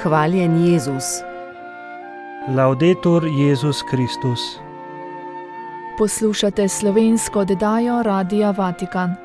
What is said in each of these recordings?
Hvaljen Jezus. Laudetur Jezus Kristus. Poslušate slovensko oddajo Radia Vatikan.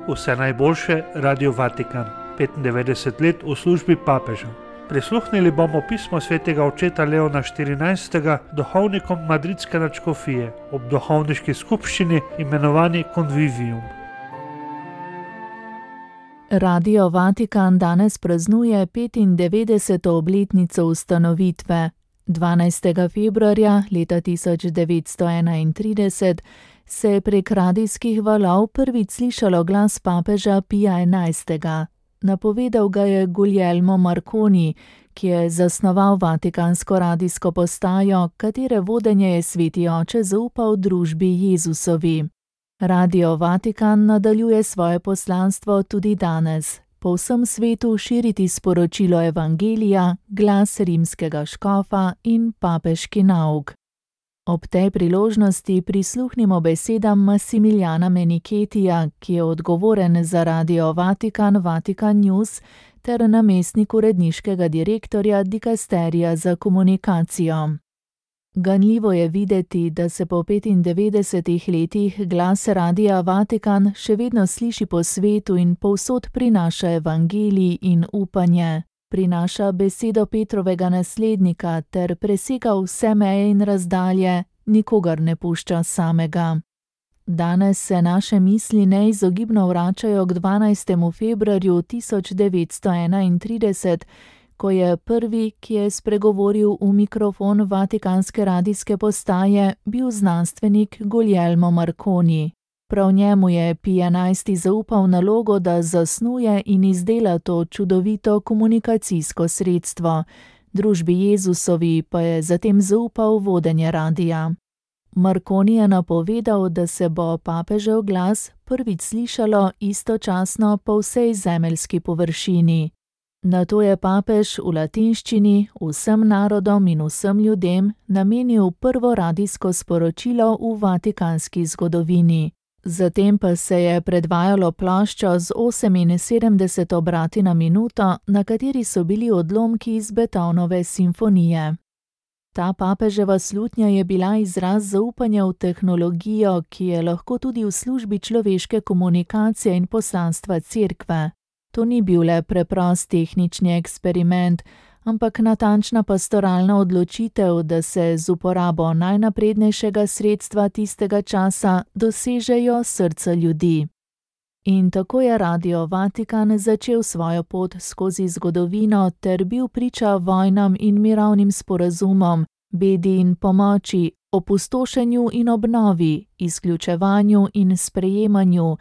Vse najboljše, Radio Vatikan, 95 let v službi papeža. Prisluhnili bomo pismo svetega očeta Leona XIV. Duhovnikom madridske nadškofije ob duhovniški skupščini imenovani Convivium. Radio Vatikan danes praznuje 95. obletnico ustanovitve. 12. februarja leta 1931 se je prek radijskih valov prvič slišalo glas papeža Pija XI. Napovedal ga je Guglielmo Marconi, ki je zasnoval vatikansko radijsko postajo, katere vodenje je sveti oče zaupal družbi Jezusovi. Radio Vatikan nadaljuje svoje poslanstvo tudi danes. Po vsem svetu širiti sporočilo evangelija, glas rimskega škofa in papeški nauk. Ob tej priložnosti prisluhnimo besedam Massimiljana Meniketija, ki je odgovoren za Radio Vatikan, Vatikan News ter namestnik uredniškega direktorja Dikasterija za komunikacijo. Ganljivo je videti, da se po 95 letih glas Radia Vatikan še vedno sliši po svetu in povsod prinaša evangelij in upanje. Prinaša besedo Petrovega naslednika ter presega vse meje in razdalje, nikogar ne pušča samega. Danes se naše misli neizogibno vračajo k 12. februarju 1931, ko je prvi, ki je spregovoril v mikrofon vatikanske radijske postaje, bil znanstvenik Guglielmo Marconi. Prav njemu je Pij XI. Zaupal nalogo, da zasnuje in izdela to čudovito komunikacijsko sredstvo. Družbi Jezusovi pa je zatem zaupal vodenje radija. Marconi je napovedal, da se bo papežev glas prvič slišalo istočasno po vsej zemeljski površini. Nato je papež v latinščini vsem narodom in vsem ljudem namenil prvo radijsko sporočilo v vatikanski zgodovini. Zatem pa se je predvajalo ploščo z 78 obrati na minuto, na kateri so bili odlomki iz Beethovenove simfonije. Ta papeževa slutnja je bila izraz zaupanja v tehnologijo, ki je lahko tudi v službi človeške komunikacije in poslanstva cerkve. To ni bil le preprost tehnični eksperiment, ampak natančna pastoralna odločitev, da se z uporabo najnaprednejšega sredstva tistega časa dosežejo srca ljudi. In tako je Radio Vatikan začel svojo pot skozi zgodovino ter bil priča vojnam in mirovnim sporazumom, bedi in pomoči, opustošenju in obnovi, izključevanju in sprejemanju,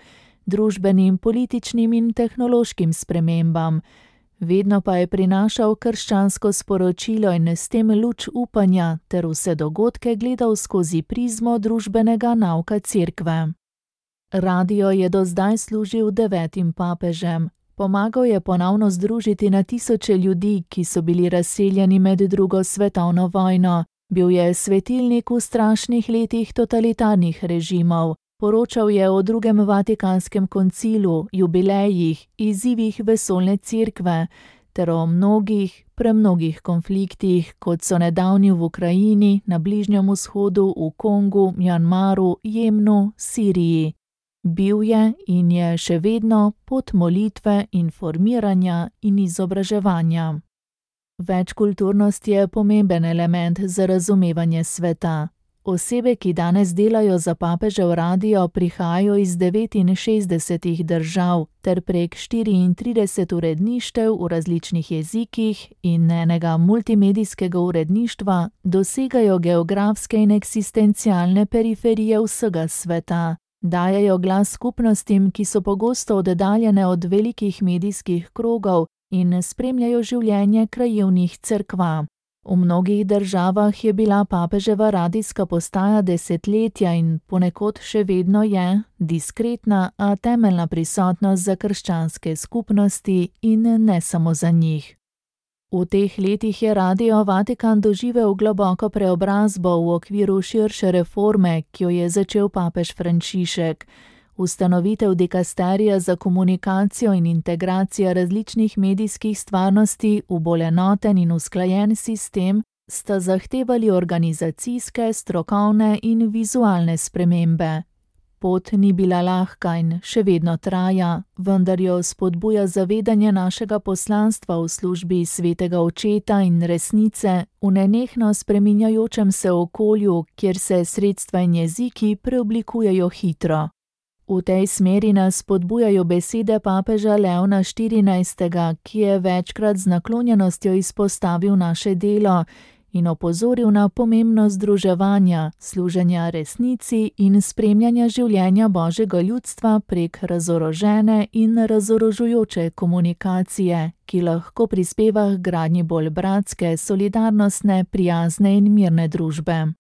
družbenim, političnim in tehnološkim spremembam. Vedno pa je prinašal krščansko sporočilo in s tem luč upanja ter vse dogodke gledal skozi prizmo družbenega nauka cerkve. Radio je do zdaj služil 9 papežem. Pomagal je ponovno združiti na tisoče ljudi, ki so bili razseljeni med drugo svetovno vojno. Bil je svetilnik v strašnih letih totalitarnih režimov. Poročal je o drugem Vatikanskem koncilu, jubilejih, izzivih vesoljne cerkve ter o mnogih, premnogih konfliktih, kot so nedavni v Ukrajini, na Bližnjem vzhodu, v Kongu, Mjanmaru, Jemnu, Siriji. Bil je in je še vedno pot molitve, informiranja in izobraževanja. Večkulturnost je pomemben element za razumevanje sveta. Osebe, ki danes delajo za papežev radio, prihajajo iz 69 držav ter prek 34 uredništev v različnih jezikih in enega multimedijskega uredništva dosegajo geografske in eksistencialne periferije vsega sveta. Dajajo glas skupnostim, ki so pogosto oddaljene od velikih medijskih krogov in spremljajo življenje krajevnih cerkva. V mnogih državah je bila papeževa radijska postaja desetletja in ponekod še vedno je diskretna, a temeljna prisotnost za krščanske skupnosti in ne samo za njih. V teh letih je Radio Vatikan doživel globoko preobrazbo v okviru širše reforme, ki jo je začel papež Frančišek. Ustanovitev dikasterija za komunikacijo in integracija različnih medijskih stvarnosti v bolj enoten in usklajen sistem sta zahtevali organizacijske, strokovne in vizualne spremembe. Pot ni bila lahka in še vedno traja, vendar jo spodbuja zavedanje našega poslanstva v službi Svetega Očeta in resnice v nenehno spreminjajočem se okolju, kjer se sredstva in jeziki preoblikujejo hitro. V tej smeri nas spodbujajo besede papeža Leona XIV., ki je večkrat z naklonjenostjo izpostavil naše delo in opozoril na pomembnost združevanja, služenja resnici in spremljanja življenja Božjega ljudstva prek razorožene in razorožujoče komunikacije, ki lahko prispeva k gradnji bolj bratske, solidarnostne, prijazne in mirne družbe.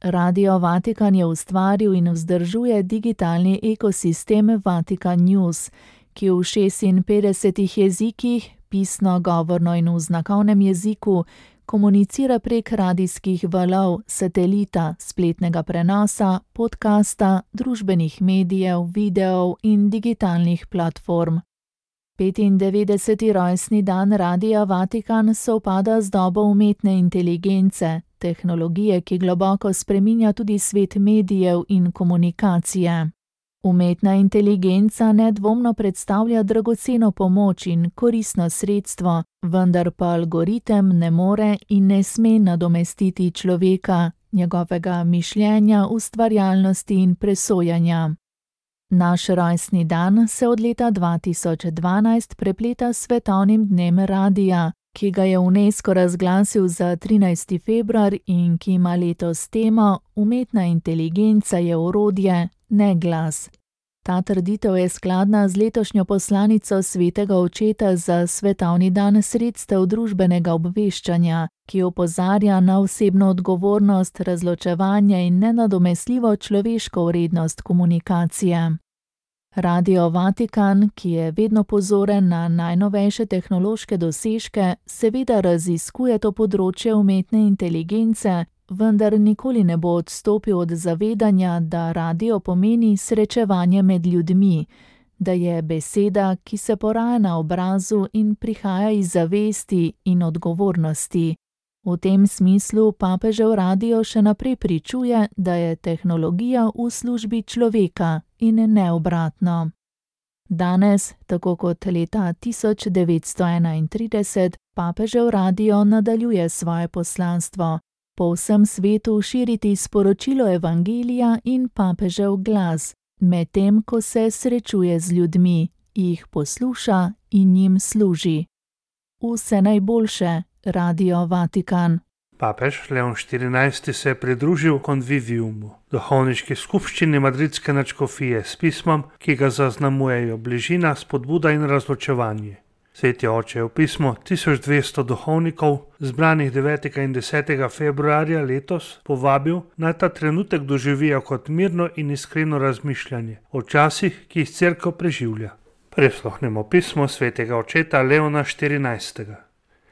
Radio Vatikan je ustvaril in vzdržuje digitalni ekosistem Vatikan News, ki v 56 jezikih, pisno, govorno in v znakovnem jeziku, komunicira prek radijskih valov, satelita, spletnega prenosa, podcasta, družbenih medijev, videov in digitalnih platform. 95. rojstni dan Radia Vatikan sovpada z dobo umetne inteligence, tehnologije, ki globoko spreminja tudi svet medijev in komunikacije. Umetna inteligenca nedvomno predstavlja dragoceno pomoč in koristno sredstvo, vendar pa algoritem ne more in ne sme nadomestiti človeka, njegovega mišljenja, ustvarjalnosti in presojanja. Naš rojstni dan se od leta 2012 prepleta s svetovnim dnem radija, ki ga je UNESCO razglasil za 13. februar in ki ima letos temo Umetna inteligenca je orodje, ne glas. Ta trditev je skladna z letošnjo poslanico Svetega Očeta za svetovni dan sredstev družbenega obveščanja, ki opozarja na osebno odgovornost, razločevanje in nenadomestljivo človeško vrednost komunikacije. Radio Vatikan, ki je vedno pozoren na najnovejše tehnološke dosežke, seveda raziskuje to področje umetne inteligence, vendar nikoli ne bo odstopil od zavedanja, da radio pomeni srečevanje med ljudmi, da je beseda, ki se poraja na obrazu in prihaja iz zavesti in odgovornosti. V tem smislu papežev radio še naprej pričuje, da je tehnologija v službi človeka in ne obratno. Danes, tako kot leta 1931, papežev radio nadaljuje svoje poslanstvo. Po vsem svetu širiti sporočilo evangelija in papežev glas, medtem ko se srečuje z ljudmi, jih posluša in jim služi. Vse najboljše, Radio Vatikan. Papež Leon XIV. Se je pridružil Conviviumu, duhovniški skupščini madridske nadškofije, s pismom, ki ga zaznamujejo bližina, spodbuda in razločevanje. Sveti oče je v pismo 1200 duhovnikov, zbranih 9. in 10. februarja letos, povabil, naj ta trenutek doživijo kot mirno in iskreno razmišljanje o časih, ki jih cerkev preživlja. Prisluhnemo pismo svetega očeta Leona XIV.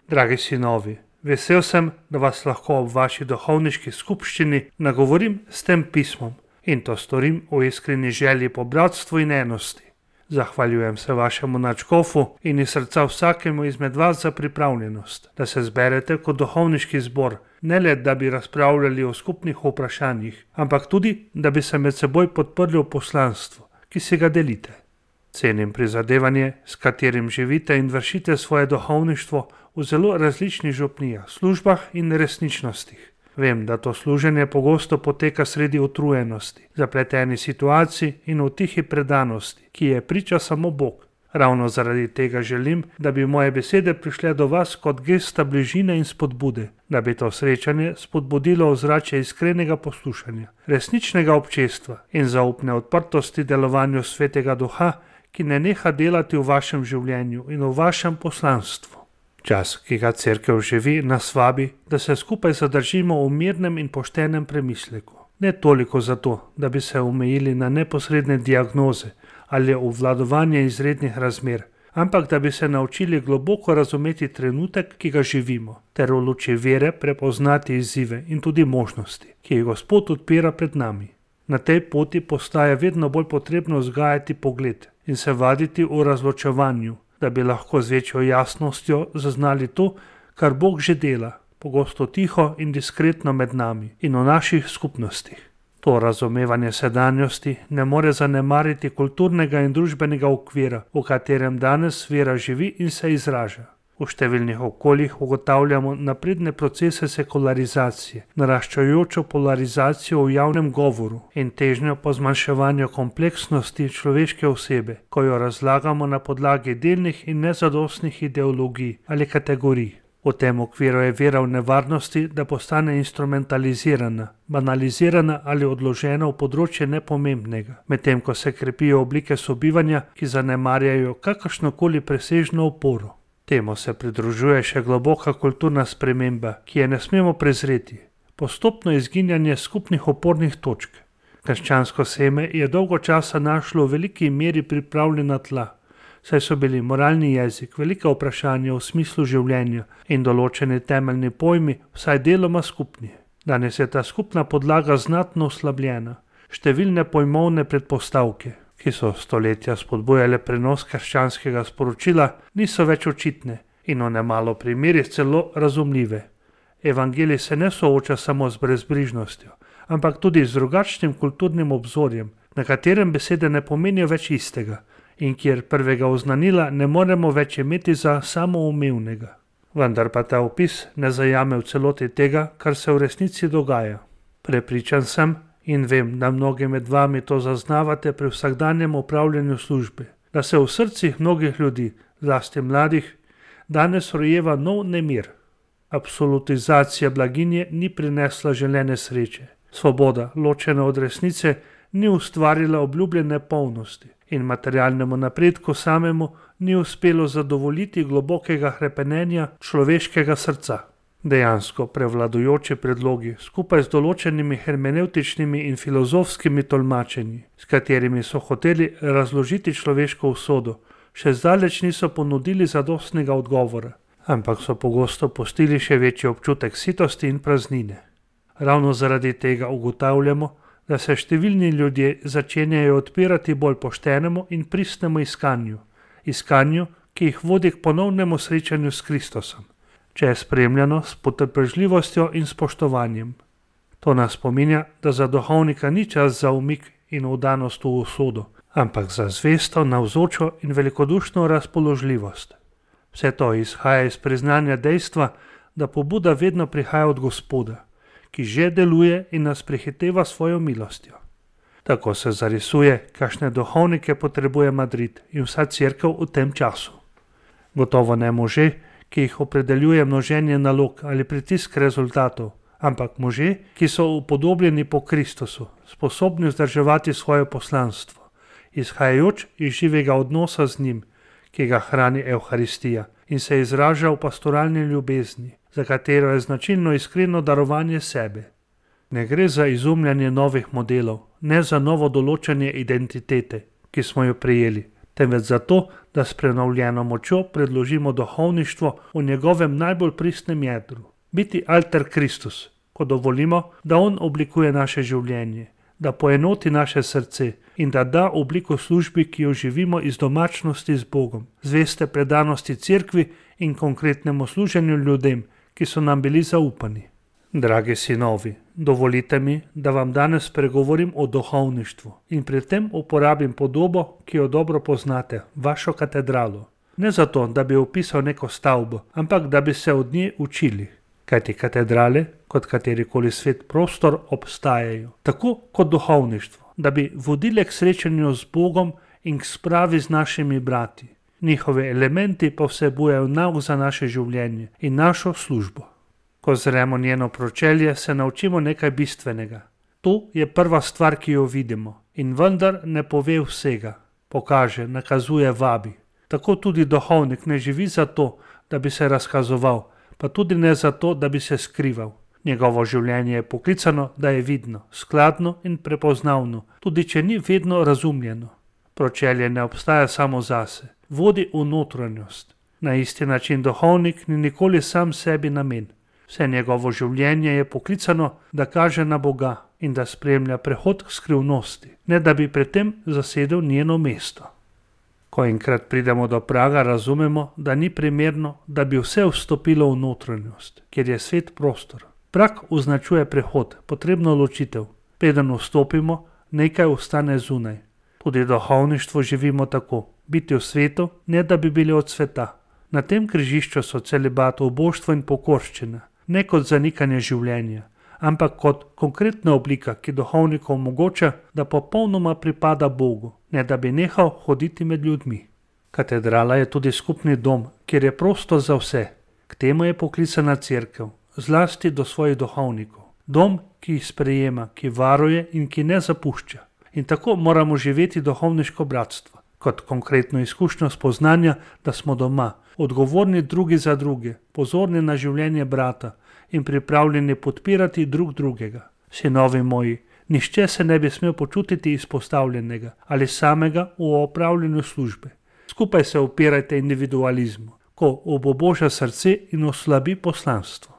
Dragi sinovi, vesel sem, da vas lahko ob vaši duhovniški skupščini nagovorim s tem pismom in to storim v iskreni želji po bratstvu in enosti. Zahvaljujem se vašemu nadškofu in iz srca vsakemu izmed vas za pripravljenost, da se zberete kot duhovniški zbor, ne le da bi razpravljali o skupnih vprašanjih, ampak tudi, da bi se med seboj podprli v poslanstvu, ki si ga delite. Cenim prizadevanje, s katerim živite in vršite svoje duhovništvo v zelo različnih župnijah, službah in resničnostih. Vem, da to služenje pogosto poteka sredi utrujenosti, zapletenih situacij in v tihi predanosti, ki je priča samo Bog. Ravno zaradi tega želim, da bi moje besede prišle do vas kot gesta bližine in spodbude, da bi to srečanje spodbudilo ozračje iskrenega poslušanja, resničnega občestva in zaupne odprtosti delovanju Svetega Duha, ki ne neha delati v vašem življenju in v vašem poslanstvu. Čas, ki ga cerkev živi, nas vabi, da se skupaj zadržimo v mirnem in poštenem premisleku. Ne toliko zato, da bi se omejili na neposredne diagnoze ali obvladovanje izrednih razmer, ampak da bi se naučili globoko razumeti trenutek, ki ga živimo, ter v luči vere prepoznati izzive in tudi možnosti, ki jih Gospod odpira pred nami. Na tej poti postaje vedno bolj potrebno vzgajati pogled in se vaditi v razločevanju, da bi lahko z večjo jasnostjo zaznali to, kar Bog že dela, pogosto tiho in diskretno med nami in v naših skupnostih. To razumevanje sedanjosti ne more zanemariti kulturnega in družbenega okvira, v katerem danes vera živi in se izraža. V številnih okoljih ugotavljamo napredne procese sekularizacije, naraščajočo polarizacijo v javnem govoru in težnjo po zmanjševanju kompleksnosti človeške osebe, ko jo razlagamo na podlagi delnih in nezadostnih ideologij ali kategorij. V tem okviru je vera v nevarnosti, da postane instrumentalizirana, banalizirana ali odložena v področje nepomembnega, medtem ko se krepijo oblike sobivanja, ki zanemarjajo kakršnokoli presežno oporo. Temu se pridružuje še globoka kulturna sprememba, ki je ne smemo prezreti. Postopno izginjanje skupnih opornih točk. Krščansko seme je dolgo časa našlo v veliki meri pripravljena tla, saj so bili moralni jezik, velika vprašanja v smislu življenja in določeni temeljni pojmi vsaj deloma skupni. Danes je ta skupna podlaga znatno oslabljena. Številne pojmovne predpostavke, ki so stoletja spodbujale prenos krščanskega sporočila, niso več očitne in v nemalo primerih celo razumljive. Evangelij se ne sooča samo z brezbrižnostjo, ampak tudi z drugačnim kulturnim obzorjem, na katerem besede ne pomenijo več istega in kjer prvega oznanila ne moremo več imeti za samoumevnega. Vendar pa ta opis ne zajame v celoti tega, kar se v resnici dogaja. Prepričan sem in vem, da mnogi med vami to zaznavate pri vsakdanjem opravljanju službe, da se v srcih mnogih ljudi, zlasti mladih, danes rojeva nov nemir. Absolutizacija blaginje ni prinesla želene sreče. Svoboda, ločena od resnice, ni ustvarila obljubljene polnosti in materialnemu napredku samemu ni uspelo zadovoljiti globokega hrepenenja človeškega srca. Dejansko prevladujoči predlogi, skupaj z določenimi hermenevtičnimi in filozofskimi tolmačenji, s katerimi so hoteli razložiti človeško usodo, še zdaleč niso ponudili zadostnega odgovora, ampak so pogosto pustili še večji občutek sitosti in praznine. Ravno zaradi tega ugotavljamo, da se številni ljudje začenjajo odpirati bolj poštenemu in pristnemu iskanju, ki jih vodi k ponovnemu srečanju s Kristusom, če je spremljano s potrpežljivostjo in spoštovanjem. To nas spominja, da za duhovnika ni čas za umik in vdanost v usodo, ampak za zvesto, navzočo in velikodušno razpoložljivost. Vse to izhaja iz priznanja dejstva, da pobuda vedno prihaja od Gospoda, ki že deluje in nas prehiteva svojo milostjo. Tako se zarisuje, kakšne duhovnike potrebuje Madrid in vsa cerkev v tem času. Gotovo ne može, ki jih opredeljuje množenje nalog ali pritisk rezultatov, ampak može, ki so upodobljeni po Kristusu, sposobni vzdrževati svoje poslanstvo, izhajajoč iz živega odnosa z njim, ki ga hrani Evharistija in se izraža v pastoralni ljubezni, za katero je značilno iskreno darovanje sebe. Ne gre za izumljanje novih modelov, ne za novo določanje identitete, ki smo jo prejeli, temveč za to, da s prenovljeno močjo predložimo duhovništvo v njegovem najbolj pristnem jedru. Biti alter Kristus, ko dovolimo, da on oblikuje naše življenje, da poenoti naše srce in da da obliko službi, ki jo živimo iz domačnosti z Bogom, zveste predanosti cerkvi in konkretnemu služenju ljudem, ki so nam bili zaupani. Dragi sinovi, dovolite mi, da vam danes pregovorim o duhovništvu in pri tem uporabim podobo, ki jo dobro poznate, vašo katedralo. Ne zato, da bi opisal neko stavbo, ampak da bi se od nje učili. Kajti katedrale, kot katerikoli svet prostor, obstajajo, tako kot duhovništvo, da bi vodile k srečanju z Bogom in k spravi z našimi brati. Njihove elementi pa vsebujejo nauk za naše življenje in našo službo. Ko zremo njeno pročelje, se naučimo nekaj bistvenega. To je prva stvar, ki jo vidimo, in vendar ne pove vsega. Pokaže, nakazuje, vabi. Tako tudi duhovnik ne živi zato, da bi se razkazoval, pa tudi ne zato, da bi se skrival. Njegovo življenje je poklicano, da je vidno, skladno in prepoznavno, tudi če ni vedno razumljeno. Pročelje ne obstaja samo zase. vodi v notranjost. Na isti način duhovnik ni nikoli sam sebi namen. Vse njegovo življenje je poklicano, da kaže na Boga in da spremlja prehod k skrivnosti, ne da bi pred tem zasedel njeno mesto. Ko enkrat pridemo do praga, razumemo, da ni primerno, da bi vse vstopilo v notranjost, kjer je svet prostor. Prag označuje prehod, potrebno ločitev. Preden vstopimo, nekaj ostane zunaj. Tudi duhovništvo živimo tako, biti v svetu, ne da bi bili od sveta. Na tem križišču so celibat, uboštvo in pokorščina, ne kot zanikanje življenja, ampak kot konkretna oblika, ki duhovniku omogoča, da popolnoma pripada Bogu, ne da bi nehal hoditi med ljudmi. Katedrala je tudi skupni dom, kjer je prostor za vse. K temu je poklicana cerkev, zlasti do svojih duhovnikov. Dom, ki jih sprejema, ki varuje in ki ne zapušča. In tako moramo živeti duhovniško bratstvo, kot konkretno izkušnjo spoznanja, da smo doma, odgovorni drugi za druge, pozorni na življenje brata in pripravljeni podpirati drug drugega. Sinovi moji, nihče se ne bi smel počutiti izpostavljenega ali samega v opravljanju službe. Skupaj se upirajte individualizmu, ko obuboža srce in oslabi poslanstvo.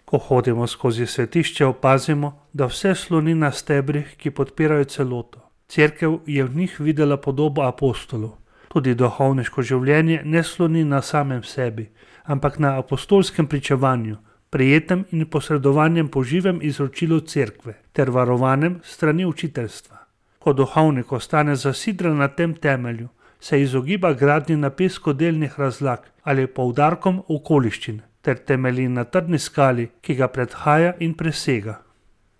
Ko hodimo skozi svetišče, opazimo, da vse sloni na stebrih, ki podpirajo celoto. Cerkev je v njih videla podobo apostolov. Tudi duhovniško življenje ne sloni na samem sebi, ampak na apostolskem pričevanju, prijetem in posredovanjem po živem izročilu cerkve ter varovanem strani učiteljstva. Ko duhovnik ostane zasidran na tem temelju, se izogiba gradnji na peskodelnih razlag ali poudarkom okoliščin ter temelji na trdni skali, ki ga predhaja in presega.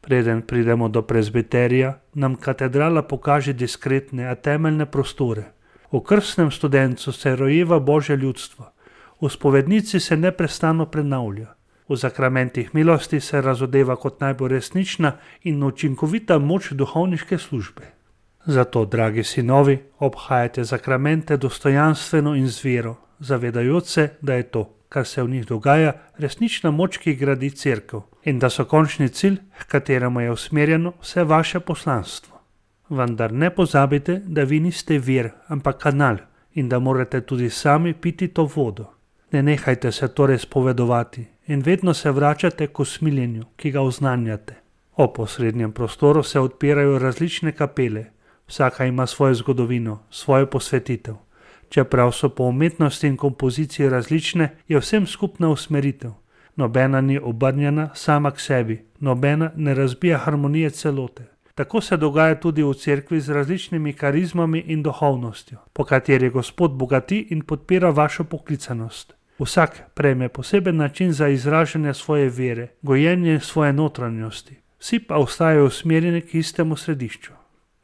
Preden pridemo do prezbiterija, nam katedrala pokaže diskretne, a temeljne prostore. V krstnem studencu se rojeva Božje ljudstvo, v spovednici se neprestano prenavlja, v zakramentih milosti se razodeva kot najbolj resnična in učinkovita moč duhovniške službe. Zato, dragi sinovi, obhajajte zakramente dostojanstveno in z vero, zavedajoč se, da je to, kar se v njih dogaja, resnična moč, ki gradi cerkev, in da so končni cilj, h kateremu je usmerjeno vse vaše poslanstvo. Vendar ne pozabite, da vi niste vir, ampak kanal in da morate tudi sami piti to vodo. Ne nehajte se torej spovedovati in vedno se vračate k usmiljenju, ki ga oznanjate. O posrednjem prostoru se odpirajo različne kapele, vsaka ima svojo zgodovino, svojo posvetitev. Čeprav so po umetnosti in kompoziciji različne, je vsem skupna usmeritev. Nobena ni obrnjena sama k sebi, nobena ne razbija harmonije celote. Tako se dogaja tudi v cerkvi z različnimi karizmami in duhovnostjo, po kateri Gospod bogati in podpira vašo poklicanost. Vsak prejme poseben način za izražanje svoje vere, gojenje svoje notranjosti. Vsi pa ostajajo usmerjeni k istemu središču.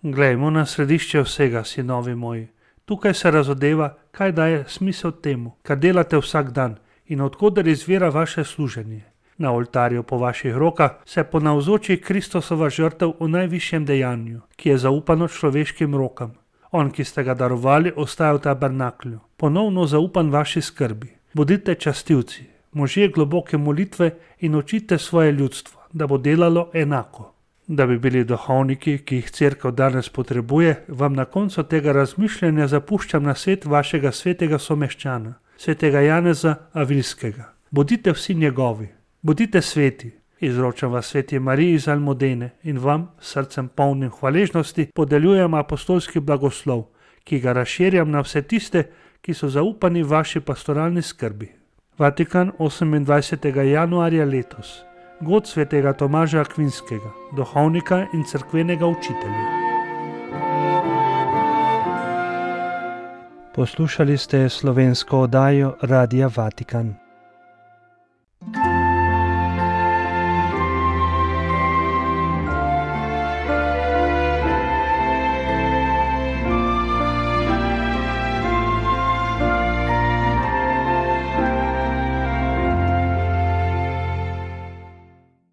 Glejmo na središče vsega, sinovi moji. Tukaj se razodeva, kaj daje smisel temu, kar delate vsak dan in od koder izvira vaše služenje. Na oltarju po vaših rokah se ponavzoči Kristusova žrtev v najvišjem dejanju, ki je zaupano človeškim rokam. On, ki ste ga darovali, ostaja v tabernaklju, ponovno zaupan vaši skrbi. Bodite častilci, možje globoke molitve in učite svoje ljudstvo, da bo delalo enako. Da bi bili duhovniki, ki jih cerkev danes potrebuje, vam na koncu tega razmišljanja zapuščam na svet vašega svetega someščana, svetega Janeza Avilskega. Bodite vsi njegovi, bodite sveti. Izročam vas sveti Mariji iz Almudene in vam, srcem polnim hvaležnosti, podeljujem apostolski blagoslov, ki ga razširjam na vse tiste, ki so zaupani vaši pastoralni skrbi. Vatikan, 28. januarja letos. God svetega Tomaža Akvinskega, duhovnika in cerkvenega učitelja. Poslušali ste slovensko oddajo Radia Vatikan.